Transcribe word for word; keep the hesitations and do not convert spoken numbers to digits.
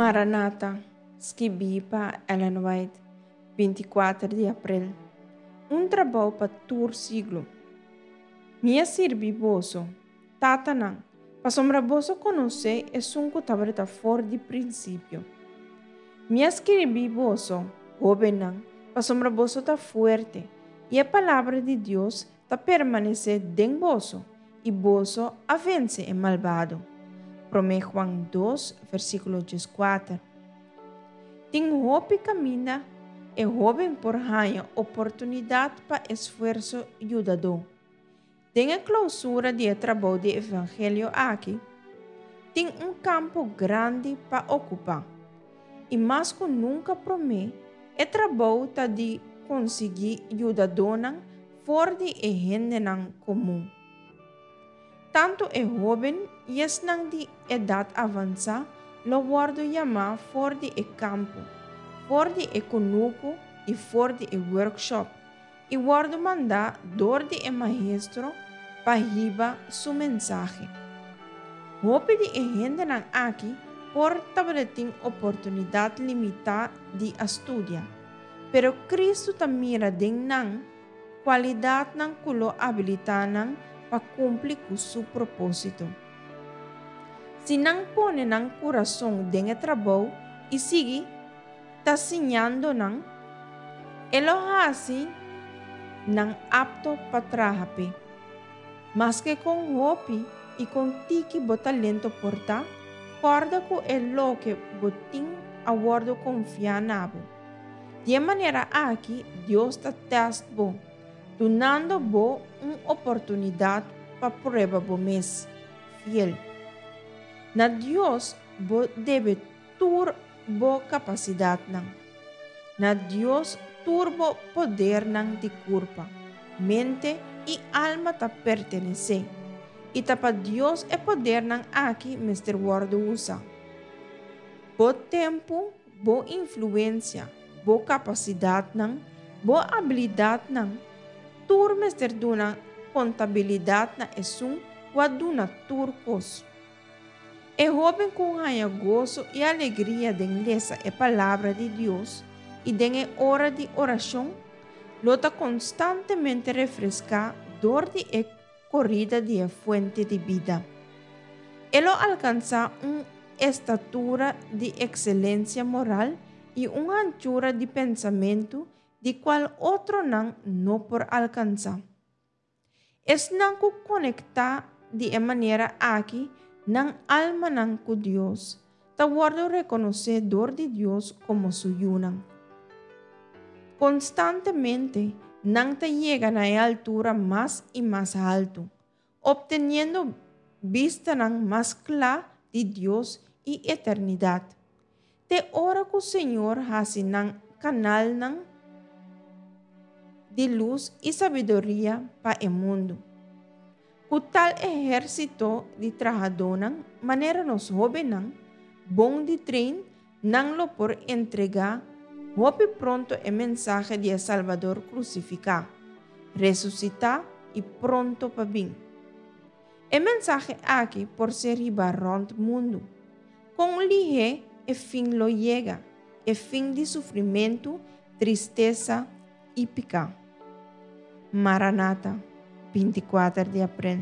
Maranata, skibí pa Ellen White, binti kuater di aprel. Un trabou pa tur siglo. Mi a sirbi boso, tatanan, pasobra boso konosé esun ku tabata for di prinsipio. Mi a skirbi boso, hóbennan, pasobra boso ta fuerte, i e palabra di Dios ta permanesé den boso, i boso a vense e malbado. Promé Juan dos, versíkulo dieskuater. Tin hopi kaminda e hóben por haña oportunidat pa esfuerso yudadó. Den e klousura di e trabou di evangelio aki, tin un kampo grandi pa okupá. I mas ku nunka promé, e trabou ta di konsiguí yudadónan for di e hendenan komun. Tantu e hóben i esnan di edat avansá lo wòrdu yamá for di e kampo, for di e kunuku i for di e workshop, i wòrdu mandá dor di e Maestro pa hiba su mensahe. Hopi di e hendenan aki por tabatin oportunidat limitá di a studia, pero Kristu ta mira den nan kualidatnan ku lo abilitá nan pa kumpli ku su propósito. Si nan pone nan kurason den e trabou i sigui ta siñando nan, e lo hasi nan apto pa traha p'e. Maske kon hopi i kon tiki bo talento por ta, kòrda ku e loke bo tin a wòrdu konfiá na bo. Di e manera aki Dios ta tèst bo, dunando bo un oportunidat pa prueba bo mes fiel. Na Dios bo debe tur bo kapasidatnan. Na Dios tur bo podernan di kurpa, mente i alma ta pertenesé. I ta pa Dios e podernan aki mester wòrdu usá. Bo tempu, bo influensia, bo kapasidatnan, bo abilidatnan, tur mester duna kontabilidat na esun ku a duna tur kos. E hóben ku haña goso i alegria den lesa e Palabra di Dios i den e ora di orashon, lo ta konstantemente refreská dor di e korida di e fuente di bida. E lo alkansá un estatura di ekselensia moral i un hanchura di pensamentu di kual otronan no por alkansá. Esnan ku konektá di e manera aki nan almanan ku Dios, ta wòrdu rekonosé dor di Dios komo su yunan. Konstantemente nan ta yega na e altura mas i mas haltu, opteniendo bistanan mas kla di Dios i eternidat. Te ora ku Señor hasi nan kanalnan di lus i sabiduria pa e mundu. Ku tal ehérsito di trahadónan, manera nos hóbennan, bon di train, nan lo por entregá hopi pronto e mensahe di e Salbador krusifiká, resusitá i pronto pa bin. E mensahe aki por ser hibá rònt mundu. Kon lihé e fin lo yega, e fin di sufrimentu, tristesa i piká. Maranata, binti kuater di aprel.